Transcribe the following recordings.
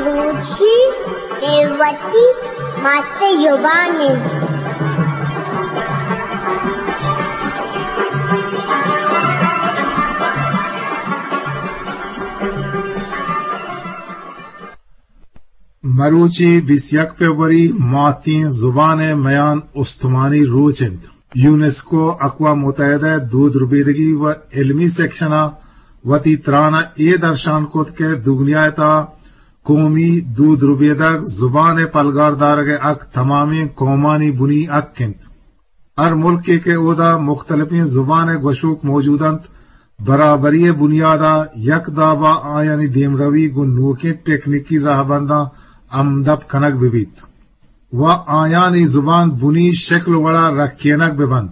بلوچی اے وتی مات زبان اِنت۔ مروچی بیست یک فروری ماتیں زبان ءِ میان استمانی روچ اِنت۔ یونیسکو، اقوام متحدہ ءِ دود ربیدگی و علمی سیکشن ءَ وتی تران ءَ اے درشان کت کہ دگنیا ءِ تہا قومی دود ربیدگ، زبان ءِ پلگار دارگ ءِ حق تمامیں قومانی بنی حق اِنت۔ ہر ملکے کہ اودا مختلفیں زبان ءِ گوشوک موجود اَنت، برابری ءِ بنیاد ءَ یک داب ءَ آیانی دیمروی گوں نوکیں تکنیکی راہبنداں ہمدپ کنگ بہ بیت و آیانی زبان بنی شکل وڑ ءَ رکینگ بہ بنت۔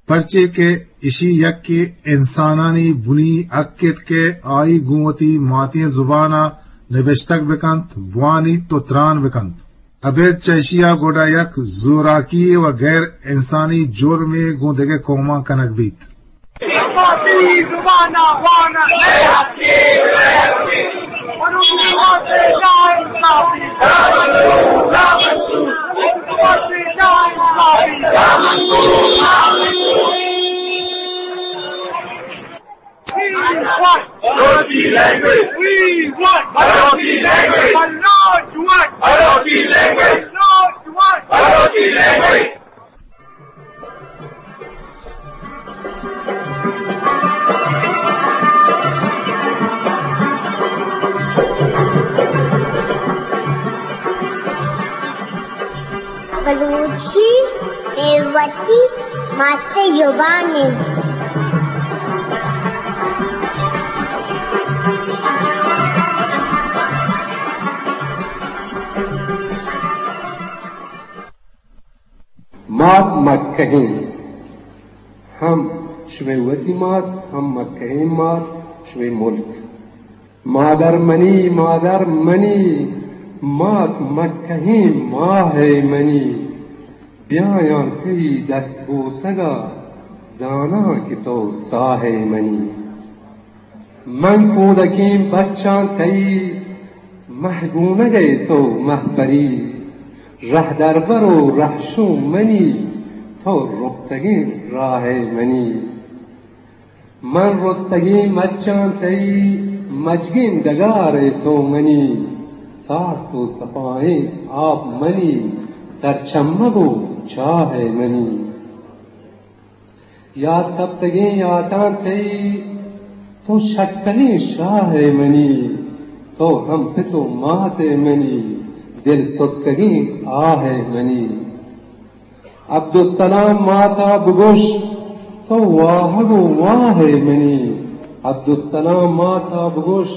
پرچے کہ اشی یکے انسانانی بنی حق اِنت کہ آئی گوں وتی ماتیں زبان ءَ نبشتگ بہ کنت، بوانیت و تران بہ کنت۔ ابید چہ اشی ءَ گڈا یک زوراکی و غیر انسانی جرمے گوں دگہ قوماں کنگ بیت۔ We want Marathi language. We want Marathi language. Marathi language. Marathi language. بلوچی اے وتی مات زبان اِنت۔ مات مکہیں، ہم شمئے وتی مات، ہم مکہیں مات، شمئے ملک۔ مادر منی، مادر منی، مات مکہیں ماہ ئے منی۔ بیایاں تئی دست بوسگ ءَ، زاناں کہ تو ساہ ئے منی۔ من کودکیں بچاں تئی، مہگونگ ئے تو مہپری۔ رہدربر و رہشون منی، تو رپتگیں راہ ئے منی۔ من رستگیں مچاں تئی، مجگیں ڈگار ئے تو منی۔ سارت و سپائیں آپ منی، سرچمگ و چاہ ئے منی۔ یات کپتگیں یاتاں تئی، تو شتلیں شاہ ئے منی۔ تو ہم پت و مات ئے منی، دل ستکگیں آہ ئے منی۔ عبدالسلام مات ءَ بگوش، تو واہگ و واہ ئے منی۔ عبدالسلام مات ءَ بگوش،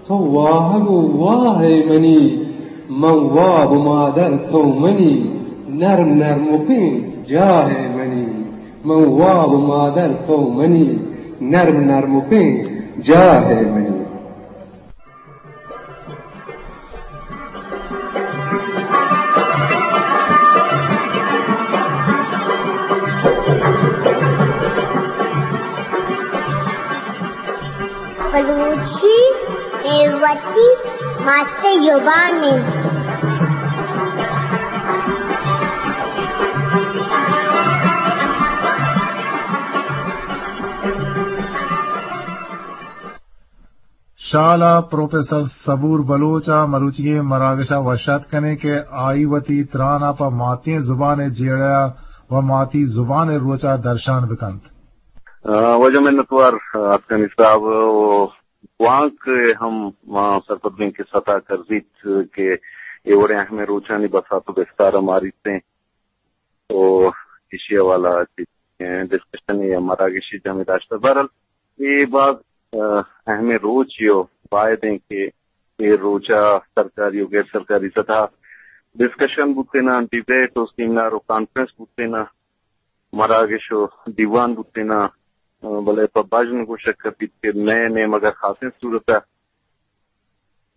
تو واہگ و واہ ئے منی۔ من واب و مادر تو منی، نرم نرم و پین جاہ ئے منی۔ من واب و مادر تو منی، نرم نرم و پین جاہ ئے منی۔ بلوچی اے وتی مات زبان اِنت۔ شال ءَ پروفیسر صبور بلوچ ءَ مروچیگیں مراگش ءَ وش آتک کنیں کہ آئی وتی تران ءَ پہ ماتیں زبان ءِ جیڑہ ءَ و ماتی زبان ءِ روچ ءَ درشان بہ کنت۔ آ، واجہ منتوار آتکانی صاحب و گوانک ہم ما سرپد بیں کہ ستا کرزیت کہ اے وڑیں اہمیں روچانی بساط و بستار ءَ ماریتیں۔ و ایشی حوالہ ءَ چہ ڈسکشنے یا مراگشے جمع داشتہ۔ بہرحال اے باز، آ، اہمیں روچے و باید ایں کہ اے روچ ءَ سرکاری و غیر سرکاری سطح ءَ ڈسکشن بوتیناں، ڈیبیٹ و سیمینار و کانفرنس بوتیناں، مراگش و دیوان بوتیناں، آ، بلے پہ بژن گوشگ کپیت کہ مئے نیمگ ءَ خاصیں صورت ءَ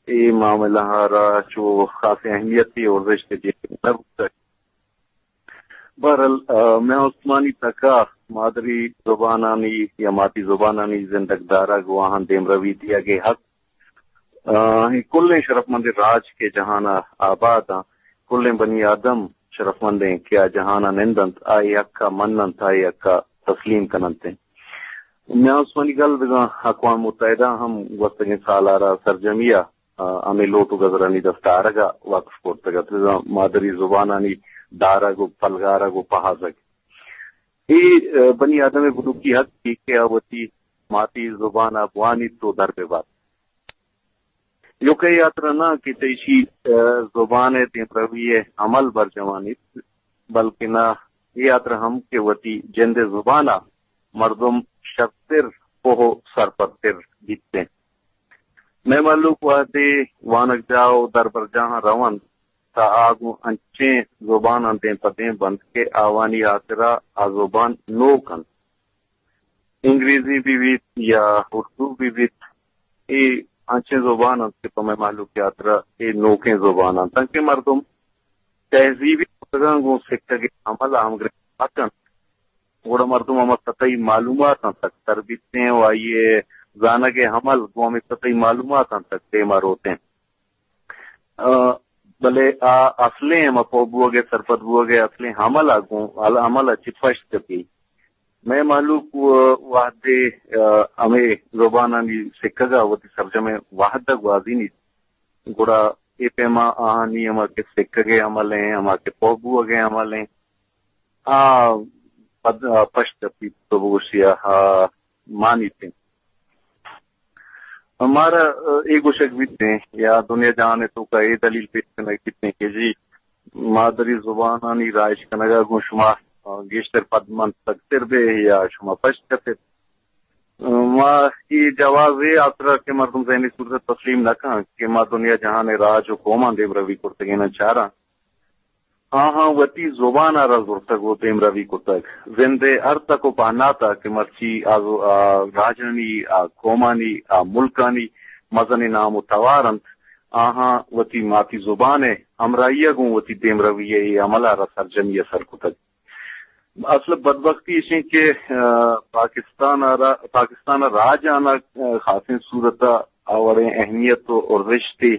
اے معاملہ ءَ را چو خاصیں اہمیتے و ارزشتے دیگ نہ بوتگ۔ بہرحال، آ، مئے استمانی تک ءَ مادری زبانانی یا ماتی زبانانی زندگ دارگ و آہاں دیمروی دیگ ءِ حق آ، اے کلیں شرفمندیں راج کہ جہان ءَ آباد آں، کلیں بنی آدم شرفمندیں کہ آ جہان ءَ نند انت، آئی حق ءَ من انت، آئی حق ءَ تسلیم کن انت۔ میان استمانی گل بزاں اقوام متحدہ ہم گوستگیں سال ءَ را سرجمی ءَ، آ، ہمے لوٹ و گزرانی دست آرگ ءَ وقف کرتگ ات، بزاں مادری زبانانی دارگ و پلگارگ و پہازگ۔ اے، آ، بنی آدم ءِ بنکی حق کہ آ وتی ماتی زبان ءَ بوانیت و در بہ بات۔ ایوک ءَ اے ہاترا نہ کہ چہ ایشی، آ، زبان ءِ دیمروی ءِ عمل برجوانیت، بلکنا اے ہاترا ہم کہ وتی جند ءِ زبان ءَ مردم شرتر پوہ و سرپدتر بیت انت۔ مئے مہلوک وہدے وانگجاہ و دربرجاہاں رونت، تہ آ گوں انچیں زباناں دیم پہ دیم بنت کہ آوانی ہاترا آ زبان نوک انت۔ انگریزی بہ بیت یا اردو بہ بیت، اے انچیں زبان انت کہ پہ مئے مہلوک ءِ ہاترا اے نوکیں زبان انت، تنکہ مردم تہذیبی کتگاں گوں سکگ ءِ عمل ءَ ہمگرنچ مہ کنت، گڑا مردم ہما سطحی معلوماتاں تک تر بیت انت و آئی ءِ زانگ ءِ عمل گوں ہمے سطحی معلوماتاں تک دیما روت انت۔ آ، بلے آ اصلیں ہما پوہ بوگ ءِ، سرپد بوگ ءِ اصلیں عمل ءَ گوں، عمل ءَ چہ پشت کپی۔ مئے مہلوک و-، وہدے، آ، ہمے زبانانی سکگ ءَ وتی سرجمیں وہد ءَ گوازینیت، گڑا اے پیما آہانی ہما کہ سکگ ءِ عمل ایں، ہما کہ پوہ بوگ ءِ عمل ایں، آ پد-، آ پشت کپیت، تو بگوشی آ مانیت انت۔ مارا، آ، اے گوشگ بیت انت یا دنیا جہان ءِ توکا اے دلیل پیش کنگ بیت انت کہ جی، مادری زبانانی رہائش کنگ ءَ گوں شما، آ، گیشتر پدمنتگتر بے یا شما پشت کپت۔ آ، ما اے جواز ءِ ہاترا کہ مردم ذہنی صورت ءَ تسلیم نہ کنت کہ ما دنیا جہان ءِ راج و قوماں دیمروی کرتگیناں چاراں۔ آہاں وتی زبان ءَ را زرتگ و دیمروی کتگ۔ زند ءِ ہر تک و پہنات ءَ کہ مرچی آ ز-، آ راجانی، آ قومانی، آ ملکانی مزنیں نام و توار انت، آہاں وتی ماتی زبان ءِ ہمراہی ءَ گوں وتی دیمروی ءِ اے عمل ءَ را سرجمی ءَ سر کتگ۔ اصل بدبختی ایش انت کہ، آ، پاکستان ءَ را، پاکستان ءِ راج آناں، آ، خاصیں صورت ءَ آ وڑیں اہمیت و ارزشتے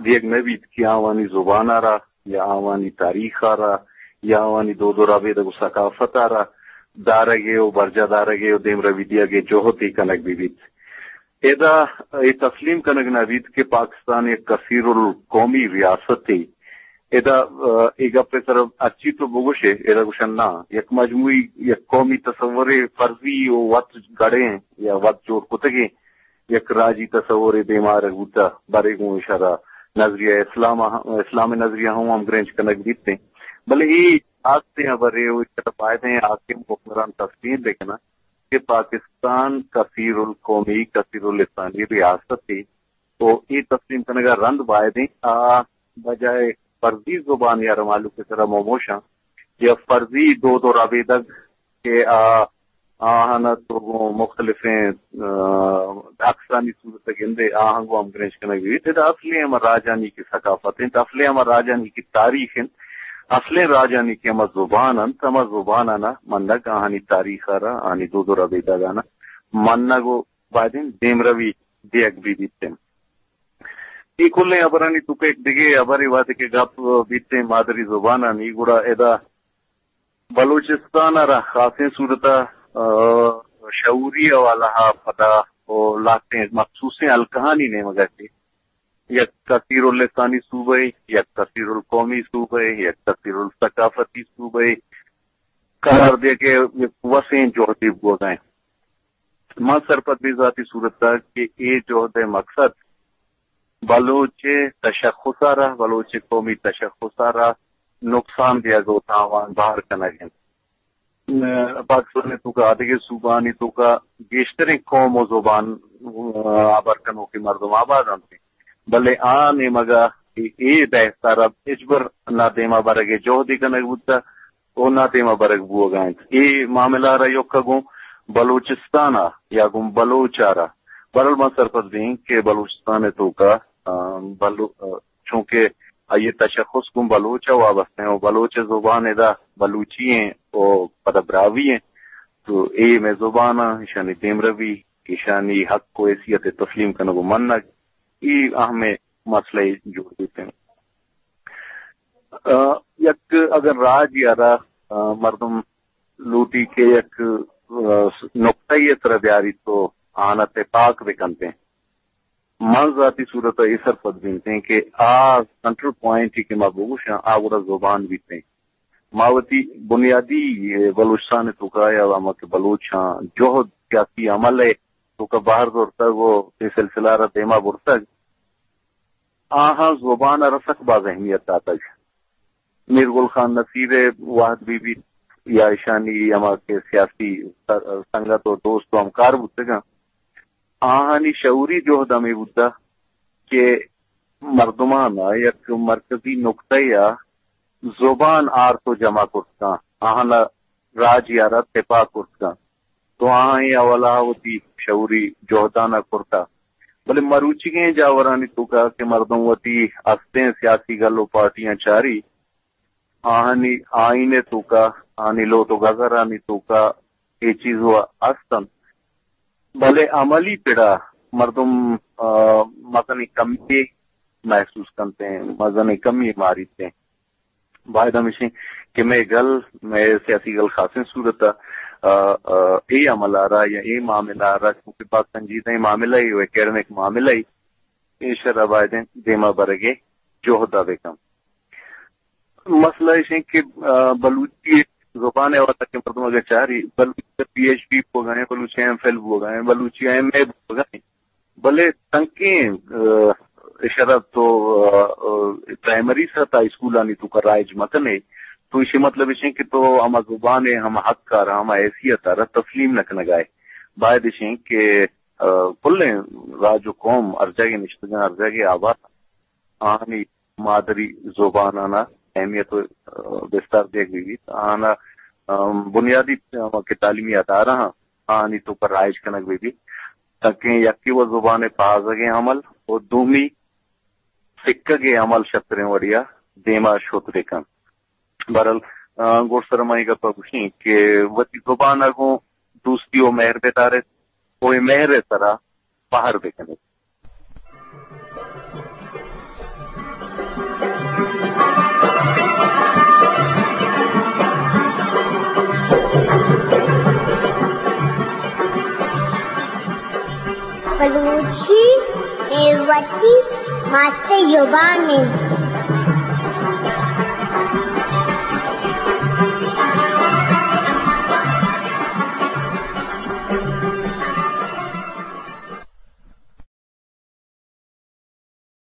دیگ نہ بیت کہ آوانی زبان ءَ را یا آوانی تاریخ ءَ را یا آوانی دود و ربیدگ و ثقافت ءَ را دارگ ءِ و برجاہ دارگ ءِ و دیمروی دیگ ءِ جہدے کنگ بہ بیت۔ ادا اے تسلیم کنگ نہ بیت کہ پاکستان یک کثیر القومی ریاستے۔ ادا، آ، اے گپ ءِ سرا ہرچی تو بگوشے، ادا گوشن نہ، یک مجموعی، یک قومی تصورے فرضی و وت گڑیں یا وت جوڑ کتگیں یک راجی تصورے دیما آرگ بوتہ، برے گوں اشارہ نظریہ اسلام ءَ، اسلام ءِ نظریہ ہم ہمگرنچ کنگ بیت انت۔ بلے اے آستیں ہبرے و اشارہ بائدیں حاکم حکمران تسلیم بہ کناں کہ پاکستان کثیر القومی، کثیر اللسانی ریاستے و اے تسلیم کنگ ءَ رند بائدیں آ بجائے فرضی زبان یا را مہلوک ءِ سرا موموشاں یا فرضی دود و ربیدگ کہ آ، آہاں تو گوں مختلفیں، آ، عکسانی صورت ءَ گندے، آہاں گوں ہمگرنچ کنگ بیت۔ ادا اصلیں ہما راجانی کہ ثقافت انت، اصلیں ہما راجانی کہ تاریخ انت، اصلیں راجانی کہ ہما زبان انت، ہما زبانانا منگ، آہانی تاریخ ءَ را، آہانی دود و ربیدگانا منگ و بائدیں دیمروی دیگ بہ بیت انت۔ اے کلیں ہبرانی توکا یک دگہ ہبرے وہدے کہ گپ بیت انت مادری زبانانی، گڑا ادا بلوچستان ءَ را خاصیں صورت ءَ، آ، شعوری حوالہ ءَ پدا و لہتیں مخصوصیں حلقہانی نیمگ ءَ کہ یک کثیر اللسانی صوبہ، یک کثیر القومی صوبہ، یک کثیر الثقافتی صوبہ قرار دیگ ءِ یک وسیں جہدے بوگ ءَ انت۔ من سرپد بیں ذاتی صورت ءَ کہ اے جہد ءِ مقصد بلوچ ءِ تشخص ءَ را، بلوچ ءِ قومی تشخص ءَ را نقصان دیگ و تاوان بار کنگ انت۔ پاکستان ءِ توکا آدگہ صوبہانی توکا گیشتریں قوم و زبان، آ، ہبر کنوکیں مردم آباد انت، بلے آ نیمگ ءَ اے، اے بحث ءَ را ہچبر نہ دیما برگ ءِ جہدے کنگ بوتہ و نہ دیما برگ بوگ ءَ انت۔ اے معاملہ ءَ را ایوک ءَ گوں بلوچستان ءَ یا گوں بلوچ ءَ را، بہرحال ما سرپد بیں کہ بلوچستان ءِ توکا، آ، بلو-، آ، چونکہ آئی ءِ تشخص گوں بلوچ ءَ وابستہ ایں و بلوچ ءِ زبان ادا بلوچی ایں و پدا براہوئی ایں، تو اے مئے زبان آں، ایشانی دیمروی، ایشانی حق و حیثیت ءِ تسلیم کنگ و منگ، اے اہمیں مسئلہ جوڑ بیت انت۔ آ، یک اگر راج یا را، آ، مردم لوٹی کہ یک، آ، نقطہ ءِ سرا بیاری تو آنا تپاک بکنت۔ من ذاتی صورت ءَ اے سرپد بنتیں کہ آ سنٹرل پوائنٹ کہ ما بگوشاں، آ گڑا زبان بیتیں۔ ما وتی بنیادی، اے، بلوچستان ءِ توکا یا ہما کہ بلوچاں جہد سیاسی عمل ءِ توکا بہر زرتگ و اے سلسلہ را دیما برتگ، آہاں زبان ءَ را سک باز اہمیت داتگ۔ میر گل خان نصیر ءِ وہد بہ بیت یا ایشانی ہما کہ سیاسی سنگت و دوست و ہمکار بوتگاں، آہانی شعوری جہد ہمے بوتہ کہ مردمان ءَ یک مرکزی نقطہ ءَ زبان آرت و جمع کرت کن، آہانا راج ءِ را تپاک کرت کن۔ تو آہاں اے حوالہ ءَ وتی شعوری جہدان ءَ کرتہ۔ بلے مروچیگیں جاورانی توکا کہ مردم وتی ہستیں سیاسی گل و پارٹیاں چاری، آہانی آئین ءِ توکا، آہانی لوٹ و گزرانی توکا اے چیز و ہست انت۔ بلے عملی پڑا مردم، آ، مزنیں کمی محسوس کنت انت، مزنیں کمی ماریت انت۔ باید ہمیش انت کہ مئے گل، مئے سیاسی گل خاصیں صورت ءَ، آ، آ، اے عمل ءَ را یا اے معاملہ ءَ را، چونکہ باز سنجیدہ معاملہ ءِ و اکیڈمک معاملہ ءِ، ایشرا باید انت دیما برگ ءِ جہد ءَ بکن۔ مسئلہ ایش انت کہ، آ، بلوچی زبان ءِ حوالہ کہ مردم اگر چاری، بلوچی ءَ پی ایچ ڈی بوگا انت، بلوچی ءَ ایم فل بوگا انت، بلوچی ءَ ایم اے بوگا انت۔ بلے تنکیں، آ، اشرا تو، آ، آ، پرائمری سطح اسکولانی توکا رائج مکنے، تو ایشی مطلب ایش انت کہ تو ہما زبان ءِ ہما حق ءَ را، ہما حیثیت ءَ را تسلیم نہ کنگا ئے۔ باید ایش انت کہ، آ، کلیں راج و قوم ہر جاگہ نشتگاں، ہر جاگہ آباد، آہانی مادری زبانانا اہمیت و، آ، بستار دیگ بہ بیت۔ آہانا، آ، بنیادی، آ، کہ تعلیمی ادارہ ہاں، آہانی توکا رائج کنگ بہ بیت، تاکہ یکے و زبان ءِ پہازگ ءِ عمل و دومی سکگ ءِ عمل شتریں وڑیا دیما شت بہ کنت۔ بہرحال، آ، گڈسر ما اے گپ ءَ گوشیں کہ وتی زبان ءَ گوں دوستی و مہر بدار ایت و اے مہر ءِ سرا بہر بکن ایت۔ بلوچی اے وتی مات زبان انت۔